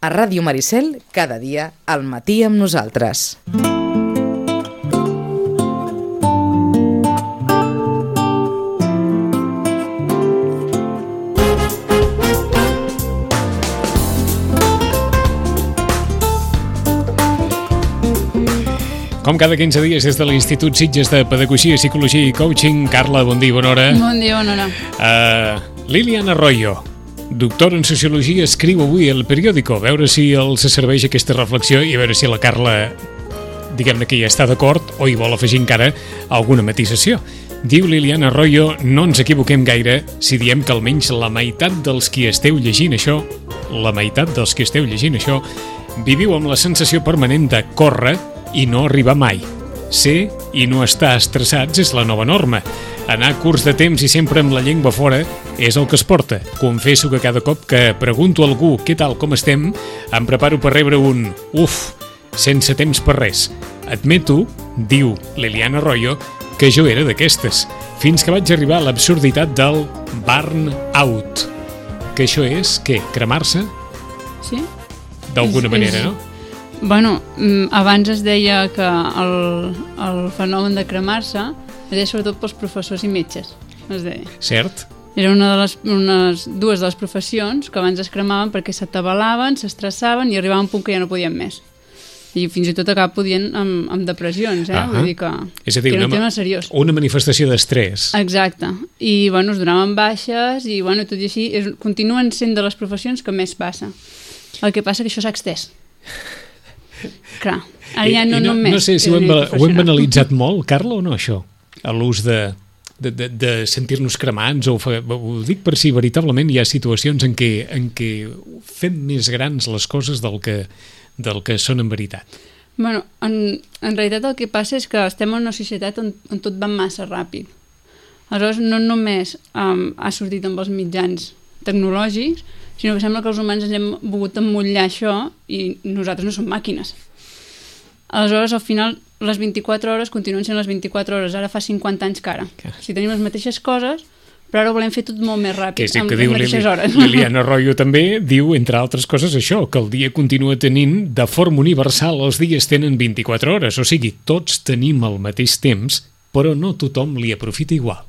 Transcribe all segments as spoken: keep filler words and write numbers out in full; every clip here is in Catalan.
A Ràdio Maricel, cada dia, al matí amb nosaltres. Com cada quinze dies des de l'Institut Sitges de Pedagogia, Psicologia i Coaching. Carla, bon dia, bona hora. Bon dia, bona hora. Uh, Liliana Arroyo, doctora en Sociologia, escriu avui al periòdico. A veure si els serveix aquesta reflexió i a veure si la Carla, diguem-ne que ja està d'acord o hi vol afegir encara alguna matisació. Diu Liliana Arroyo, no ens equivoquem gaire si diem que almenys la meitat dels qui esteu llegint això, la meitat dels qui esteu llegint això, viviu amb la sensació permanent de córrer i no arribar mai. Ser i no estar estressats és la nova norma. Anar curs de temps i sempre amb la llengua fora és el que es porta. Confesso que cada cop que pregunto a algú què tal, com estem, em preparo per rebre un uf, sense temps per res. Admeto, diu Liliana Arroyo, que jo era d'aquestes, fins que vaig arribar a l'absurditat del burn-out. Que això és, què, cremar-se? Sí. D'alguna manera, no? Bueno, abans es deia que el, el fenomen de cremar-se es deia sobretot pels professors i metges, es deia. Cert. Era una de les unes, dues de les professions que abans es cremaven perquè s'atabalaven, s'estressaven i arribaven a un punt que ja no podien més. I fins i tot acaba podien amb, amb depressions, eh? Uh-huh. Vull dir que, és a dir, que era un una, tema seriós. Una manifestació d'estrès. Exacte. I, bueno, es donaven baixes i, bueno, tot i així, és, continuen sent de les professions que més passa. El que passa que això s'ha extès. Clar, ara ja no, no només... No sé si ho hem, ho hem banalitzat molt, Carla, o no, això? A l'ús de, de, de, de sentir-nos cremants, o ho dic per si veritablement hi ha situacions en què, en què fem més grans les coses del que, del que són en veritat. Bueno, en, en realitat el que passa és que estem en una societat on, on tot va massa ràpid. Aleshores, no només um, ha sortit amb els mitjans tecnològics, sinó que sembla que els humans ens hem volgut emmottllar això i nosaltres no som màquines. Aleshores, al final, les vint-i-quatre hores continuen sent les vint-i-quatre hores. Ara fa cinquanta anys que ara. Si tenim les mateixes coses, però ara ho volem fer tot molt més ràpid, que amb que les diu mateixes Lili, hores. Liliana Arroyo també diu, entre altres coses, això, que el dia continua tenint, de forma universal, els dies tenen vint-i-quatre hores. O sigui, tots tenim el mateix temps, però no tothom li aprofita igual.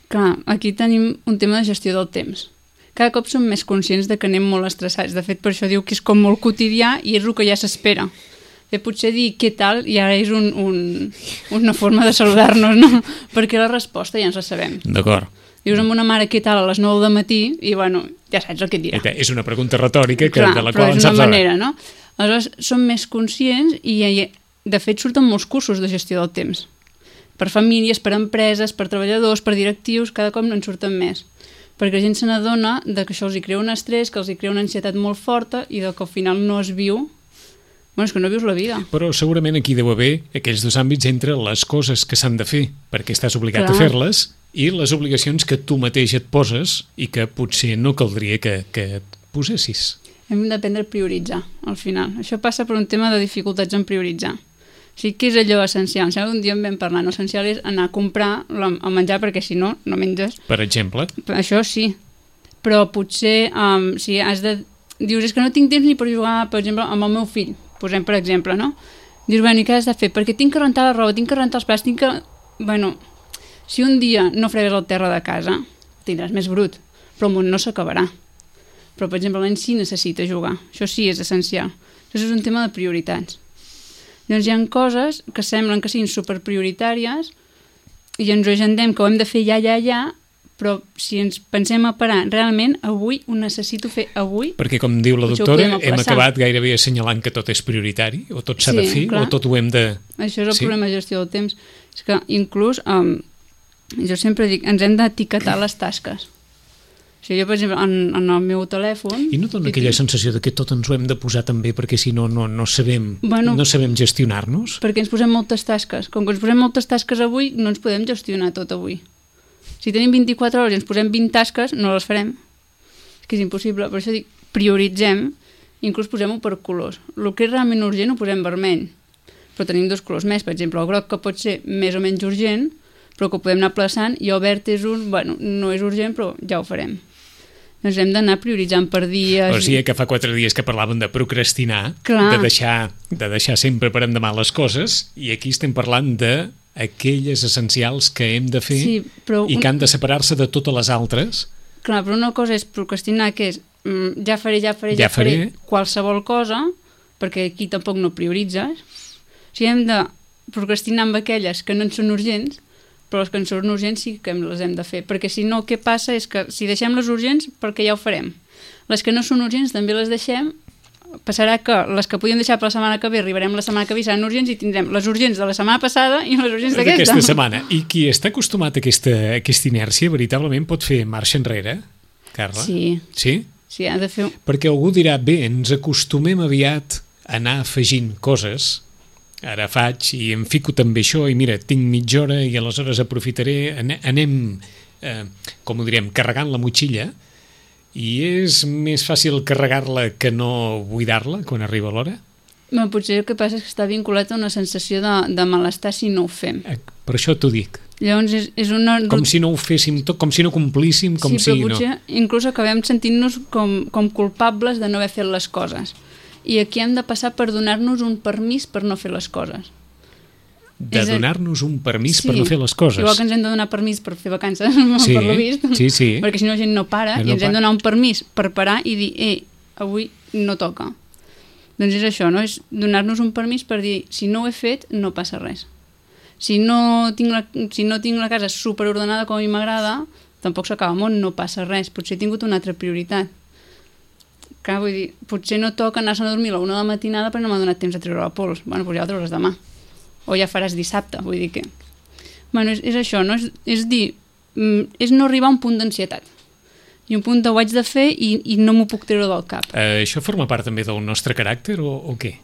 Clar, aquí tenim un tema de gestió del temps. Cada cop som més conscients de que anem molt estressats. De fet, per això diu que és com molt quotidià i és el que ja s'espera. De potser dir què tal ja és un, un, una forma de saludar-nos, no? Perquè la resposta ja ens la sabem. D'acord. Dius amb una mare què tal a les nou del matí i, bueno, ja saps el que et dirà. És una pregunta retòrica que, Clar, de la qual en saps. Clar, però és una manera, no? Aleshores, som més conscients i, de fet, surten molts cursos de gestió del temps. Per famílies, per empreses, per treballadors, per directius, cada cop no en surten més. Perquè la gent se n'adona que això els hi crea un estrès, que els hi crea una ansietat molt forta i que al final no es viu. Bueno, és que no vius la vida. Però segurament aquí deu haver aquells dos àmbits entre les coses que s'han de fer perquè estàs obligat Clar. a fer-les i les obligacions que tu mateix et poses i que potser no caldria que, que et posessis. Hem d'aprendre a prioritzar, al final. Això passa per un tema de dificultats en prioritzar. O sigui, què és allò essencial? Em sembla que un dia en vam parlar. L'essencial és anar a comprar el menjar perquè si no, no menges. Per exemple? Això sí. Però potser, um, si has de... Dius, és que no tinc temps ni per jugar, per exemple, amb el meu fill. Posem, per exemple, no? Dius, bueno, i què has de fer? Perquè tinc que rentar la roba, tinc que rentar els plats, tinc que... Bueno, si un dia no fregues el terra de casa, tindràs més brut. Però el món no s'acabarà. Però, per exemple, el nen sí necessita jugar. Això sí és essencial. Això és un tema de prioritats. Llavors hi ha coses que semblen que siguin superprioritàries i ens ho agendem que ho hem de fer ja, ja, ja, però si ens pensem a parar, realment avui ho necessito fer avui. Perquè, com diu la doctora, hem acabat gairebé assenyalant que tot és prioritari, o tot s'ha sí, de fer, clar. o tot ho hem de... Això és el sí. problema de gestió del temps. És que inclús, um, jo sempre dic, ens hem d'etiquetar les tasques. O sigui, jo, per exemple, en, en el meu telèfon... I no dona aquella sensació de que tot ens ho hem de posar també perquè si no, no, no sabem, bueno, no sabem gestionar-nos? Perquè ens posem moltes tasques. Com que ens posem moltes tasques avui, no ens podem gestionar tot avui. Si tenim vint-i-quatre hores i ens posem vint tasques, no les farem. És que és impossible. Per això dic, prioritzem, inclús posem-ho per colors. El que és realment urgent ho posem vermell. Però tenim dos colors més. Per exemple, el groc, que pot ser més o menys urgent, però que ho podem anar aplaçant, i el verd és un... Bueno, no és urgent, però ja ho farem. doncs hem d'anar prioritzant per dies. O sigui que fa quatre dies que parlaven de procrastinar, Clar. de deixar, de deixar sempre per endemà les coses, i aquí estem parlant de aquelles essencials que hem de fer Sí, però i un- que han de separar-se de totes les altres. Clar, però una cosa és procrastinar, que és mm, ja faré, ja faré, ja, Ja faré. faré qualsevol cosa, perquè aquí tampoc no prioritzes. O sigui, hem de procrastinar amb aquelles que no en són urgents, però les que en són urgents sí que les hem de fer, perquè si no, què passa és que si deixem les urgents, perquè ja ho farem. Les que no són urgents també les deixem, passarà que les que podíem deixar per la setmana que ve, arribarem la setmana que ve, seran urgents i tindrem les urgents de la setmana passada i les urgents d'aquesta. D'aquesta setmana. I qui està acostumat a aquesta, a aquesta inèrcia veritablement pot fer marxa enrere, Carla? Sí, Sí? sí, ha de fer... Perquè algú dirà, bé, ens acostumem aviat a anar afegint coses, ara faig i em fico també això i mira, tinc mitja hora i aleshores aprofitaré, ane- anem, eh, com ho direm, carregant la motxilla, i és més fàcil carregar-la que no buidar-la quan arriba l'hora? Però potser el que passa és que està vinculat a una sensació de, de malestar si no ho fem. Eh, Per això t'ho dic. Llavors és, és una... Com si no ho féssim tot, com si no complíssim, com sí, si però no... potser inclús acabem sentint-nos com, com culpables de no haver fet les coses. I aquí hem de passar per donar-nos un permís per no fer les coses. De és a- donar-nos un permís Sí. per no fer les coses. Igual que ens hem de donar permís per fer vacances, Sí, per lo vist. sí, sí. Perquè si no la gent no para, No i ens hem para. de donar un permís per parar i dir, ei, avui no toca. Doncs és això, no? És donar-nos un permís per dir, si no ho he fet, no passa res. Si no tinc la, si no tinc la casa superordenada com a mi m'agrada, tampoc s'acaba el món, no passa res. Potser he tingut una altra prioritat. Clar, vull dir, potser no toca anar-se'n a dormir a la una de la matinada perquè no m'ha donat temps a treure la pols. Bueno, doncs ja la treuràs demà. O ja faràs dissabte, vull dir que... Bueno, és, és això, no? És, és dir, mm, és no arribar a un punt d'ansietat. I un punt de ho haig de fer i, i no m'ho puc treure del cap. Eh, això forma part també del nostre caràcter o, o què?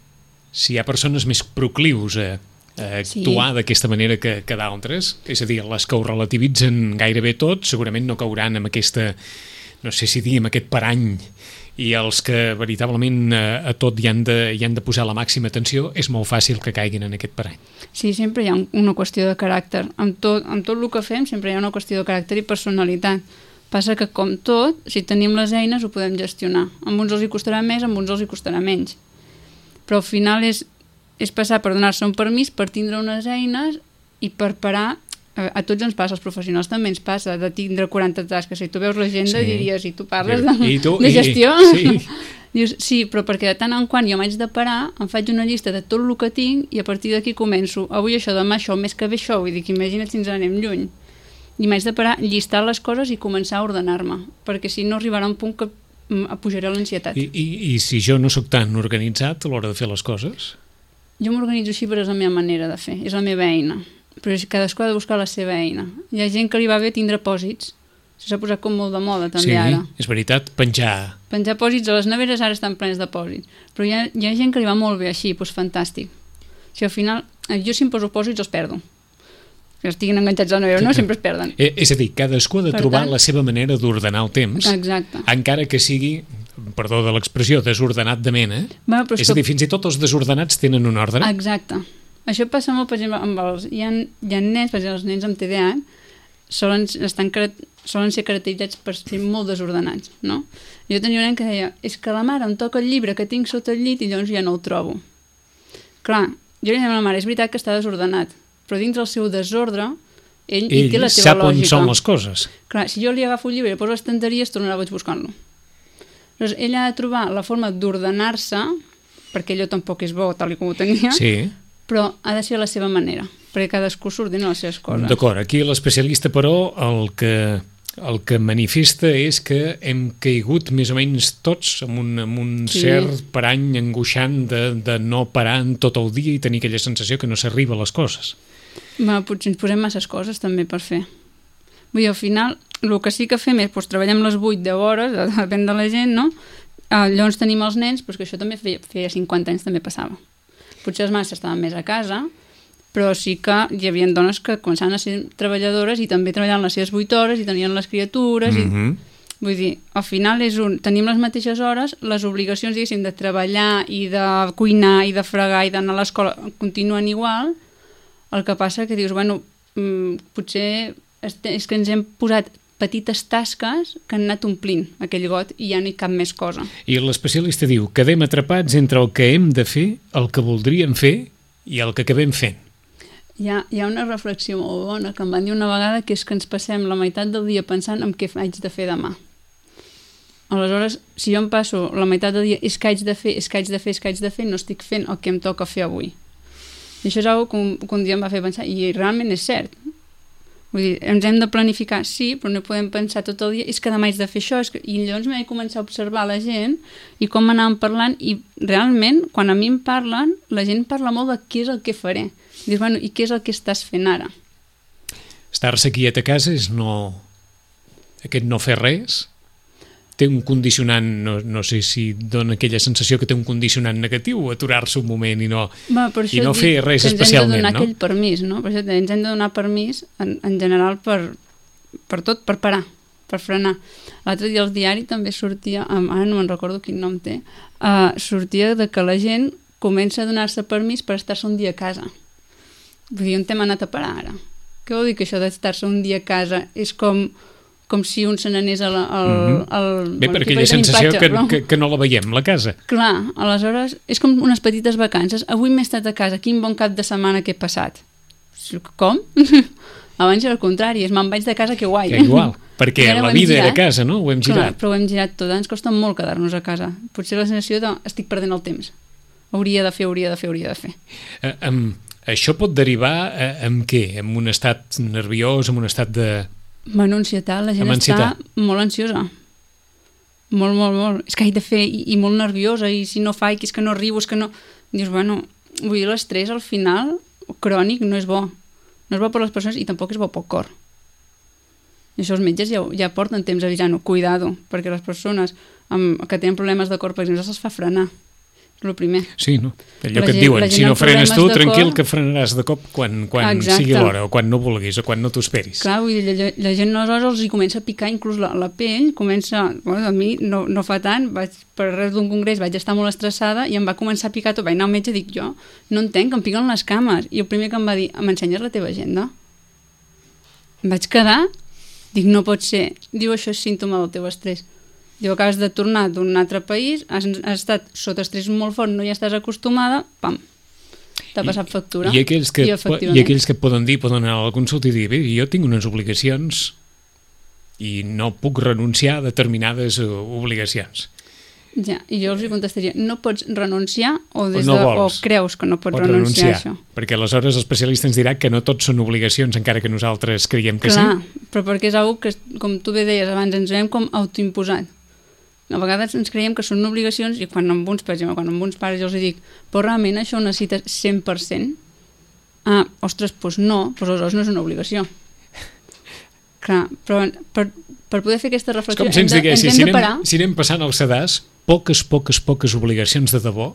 Si hi ha persones més proclius a, a actuar Sí. d'aquesta manera que, que d'altres, és a dir, les que ho relativitzen gairebé tot, segurament no cauran amb aquesta, no sé si dir, amb aquest parany, i els que veritablement a, a tot hi han, de, hi han de posar la màxima atenció, és molt fàcil que caiguin en aquest parany. Sí, sempre hi ha un- una qüestió de caràcter. Amb tot, amb tot el que fem sempre hi ha una qüestió de caràcter i personalitat. Passa que, com tot, si tenim les eines ho podem gestionar. Amb uns els hi costarà més, amb uns els hi costarà menys. Però al final és, és passar per donar-se un permís, per tindre unes eines i per parar. A, a tots ens passa, als professionals també ens passa, de tindre quaranta tasques. Si tu veus l'agenda Sí. diries, i tu parles de, I tu- de i- gestió? sí. Dius, sí, però perquè de tant en quant jo m'haig de parar, em faig una llista de tot el que tinc i a partir d'aquí començo, avui això, demà això, el mes que ve això, vull dir que imagina't si ens anem lluny. I m'haig de parar, llistar les coses i començar a ordenar-me, perquè si no arribarà un punt que mm, pujaré l'ansietat. I, i, I si jo no sóc tan organitzat a l'hora de fer les coses? Jo m'organitzo així, però és la meva manera de fer, és la meva eina. Però és- cadascú ha de buscar la seva eina. Hi ha gent que li va bé tindre pòsits, això s'ha posat com molt de moda també sí, ara. és veritat, penjar... Penjar pòsits a les neveres ara estan plens de pòsits, però hi ha, hi ha gent que li va molt bé així, doncs fantàstic. Si al final, eh, jo si em poso pòsits els perdo. Que estiguin enganxats a la nevera, no, sempre es perden. Eh, és a dir, cadascú ha de Per trobar tant- la seva manera d'ordenar el temps, Exacte. encara que sigui, perdó de l'expressió, desordenat de mena. Va, però és És a que- dir, fins i tot els desordenats tenen un ordre. Exacte. Això passa molt, per exemple, amb els... Hi ha, hi ha nens, per exemple, els nens amb T D A H solen, estan, cara- solen ser caracteritzats per ser molt desordenats, no? Jo tenia un nen que deia, és que la mare em toca el llibre que tinc sota el llit i llavors ja no el trobo. Clar, jo li deia a la mare, és veritat que està desordenat, però dintre el seu desordre, ell, hi Ell té la seva sap on lògica. són les coses. Clar, si jo li agafo el llibre i el poso a l'estanteria, es tornarà boig buscant-lo. Llavors, ell ha de trobar la forma d'ordenar-se, perquè allò tampoc és bo, tal i com ho tenia, Sí, però ha de ser a la seva manera, perquè cadascú s'ordena les seves coses. d'acord. Aquí l'especialista, però, el que, el que manifesta és que hem caigut més o menys tots amb un, amb un Sí. cert parany angoixant de, de no parar en tot el dia i tenir aquella sensació que no s'arriba a les coses. Ma, potser ens posem masses coses també per fer. Vull dir, al final, el que sí que fem és doncs, treballem les vuit deu hores, depèn de la gent, no? Uh, llavors tenim els nens, però és que això també feia, feia cinquanta anys també passava. Potser les mares estaven més a casa, però sí que hi havia dones que començaven a ser treballadores i també treballaven les seves vuit hores i tenien les criatures. Mm i... -hmm. Vull dir, al final és un... tenim les mateixes hores, les obligacions, diguéssim, de treballar i de cuinar i de fregar i d'anar a l'escola continuen igual. El que passa que dius, bueno, mm, potser és, és que ens hem posat petites tasques que han anat omplint aquell got i ja no hi cap més cosa. I l'especialista diu, quedem atrapats entre el que hem de fer, el que voldríem fer i el que acabem fent. Hi ha, hi ha una reflexió molt bona que em van dir una vegada, que és que ens passem la meitat del dia pensant en què haig de fer demà. Aleshores, si jo em passo la meitat del dia és que haig de fer, és que haig de fer, és que haig de fer, no estic fent el que em toca fer avui. I això és una cosa que un, que un dia em va fer pensar, i realment és cert. Vull dir, ens hem de planificar, sí, però no podem pensar tot el dia, és que demà haig de fer això, és que... i llavors m'he començat a observar la gent i com anàvem parlant, i realment, quan a mi em parlen, la gent parla molt de què és el que faré. Dius, bueno, i què és el que estàs fent ara? Estar-se quiet a casa és no... aquest no fer res? Té un condicionant, no, no sé si dona aquella sensació que té un condicionant negatiu, aturar-se un moment i no, Va, i no fer res especialment, no? Ens hem de donar aquell permís, no? Per això ens hem de donar permís en, en general per, per tot, per parar, per frenar. L'altre dia al diari també sortia, ara no me'n recordo quin nom té, uh, sortia de que la gent comença a donar-se permís per estar-se un dia a casa. Vull dir, on t'hem anat a parar ara? Què vol dir que això d'estar-se un dia a casa és com... com si un se n'anés al... al, mm-hmm. al Bé, bueno, per aquella sensació impatge, que, però... que, que no la veiem, la casa. Clar, aleshores, és com unes petites vacances. Avui m'he estat a casa, quin bon cap de setmana que he passat. Com? Abans era el contrari, és me'n vaig de casa, que guai. Que igual, perquè la vida era a casa, no? Ho hem girat. Clar, però ho hem girat tot, ens costa molt quedar-nos a casa. Potser la sensació de estic perdent el temps. Hauria de fer, hauria de fer, hauria de fer. Eh, um, això pot derivar eh, en què? En un estat nerviós, en un estat de... Bueno, ansietat, la gent està molt ansiosa. Molt, molt, molt. És que haig de fer, i, i molt nerviosa, i si no fa, i que és que no arribo, és que no... Dius, bueno, vull dir, l'estrès al final, crònic, no és bo. No és bo per les persones i tampoc és bo pel cor. I això els metges ja, ja porten temps avisant-ho, cuidado, perquè les persones amb, que tenen problemes de cor, per exemple, se'ls fa frenar. És el primer. Sí, no? Allò que et diuen, si no frenes tu, tranquil que frenaràs de cop quan, quan sigui l'hora, o quan no vulguis, o quan no t'ho esperis. Clar, vull dir, la, la gent aleshores els hi comença a picar inclús la, la pell, comença, bueno, a mi no, no fa tant, vaig, per res d'un congrés vaig estar molt estressada i em va començar a picar tot, vaig anar al metge i dic, jo no entenc, em piquen les cames, i el primer que em va dir, m'ensenyes la teva agenda? Em vaig quedar, dic, no pot ser, diu, això és símptoma del teu estrès. Diu, acabes de tornar d'un altre país, has, has estat sota estrès molt fort, no hi estàs acostumada, pam, t'ha passat factura. I, i, aquells que, I, I aquells que et poden dir, poden anar a la consulta i dir, bé, jo tinc unes obligacions i no puc renunciar a determinades obligacions. Ja, i jo els hi contestaria, no pots renunciar o, des o, no de, o creus que no pots, pots renunciar, renunciar a això? Perquè aleshores l'especialista ens dirà que no tots són obligacions, encara que nosaltres creiem que Clar, sí. Però perquè és una que, com tu bé deies abans, ens veiem com autoimposat. A vegades ens creiem que són obligacions i quan amb uns, per exemple, quan amb uns pares jo els dic, però realment això ho necessites cent per cent? Ah, ostres, doncs no, doncs aleshores no és una obligació. Clar, però per, per poder fer aquesta reflexió hem de, ens si, hem si de parar. Anem, si anem passant al sedàs, poques, poques, poques obligacions de debò,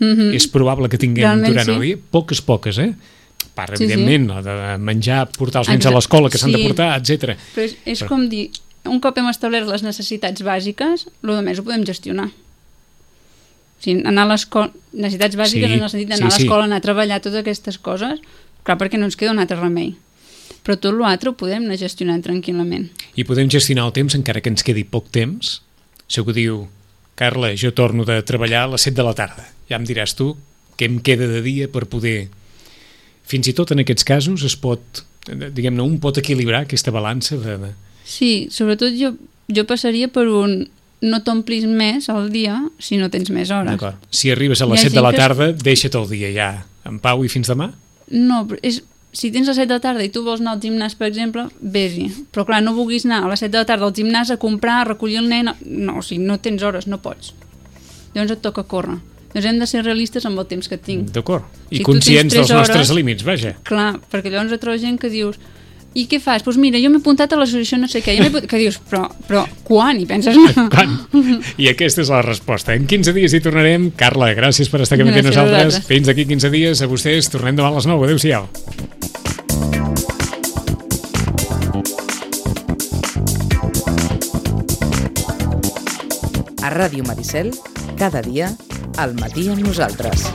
mm-hmm. és probable que tinguem Realment, durant sí. el dia, poques, poques, eh? Part, sí, evidentment, sí. de menjar, portar els nens a l'escola que s'han sí. de portar, etcètera. Però és, és però... com dir, un cop hem establert les necessitats bàsiques, el que més ho podem gestionar. O sigui, anar a l'escola, necessitats bàsiques sí, en el sentit d'anar sí, a l'escola, sí. anar a treballar, totes aquestes coses, clar, perquè no ens queda un altre remei. Però tot l'altre ho podem anar gestionant tranquil·lament. I podem gestionar el temps encara que ens quedi poc temps. Si algú diu, Carla, jo torno de treballar a les set de la tarda. Ja em diràs tu què em queda de dia per poder... Fins i tot en aquests casos es pot, diguem-ne, un pot equilibrar aquesta balança de... de... Sí, sobretot jo, jo passaria per un no t'omplis més al dia si no tens més hores. D'acord. Si arribes a les set de la tarda, que... deixa't el dia ja en pau i fins demà? No, és, si tens a les set de la tarda i tu vols anar al gimnàs, per exemple, vés-hi. Però clar, no vulguis anar a les set de la tarda al gimnàs a comprar, a recollir el nen... No, o sigui, no tens hores, no pots. Llavors et toca córrer. Llavors hem de ser realistes amb el temps que tinc. D'acord. I si conscients dels hores, nostres límits, vaja. Clar, perquè llavors et trobes gent que dius... I què fas? Doncs pues mira, jo m'he apuntat a l'associació no sé què. Que dius, però, però quan? I penses... Quan? I aquesta és la resposta. En quinze dies hi tornarem. Carla, gràcies per estar aquí amb nosaltres. Fins d'aquí quinze dies. A vostès, tornem demà a les nou. Adéu-siau. A Ràdio Maricel, cada dia, al matí amb nosaltres.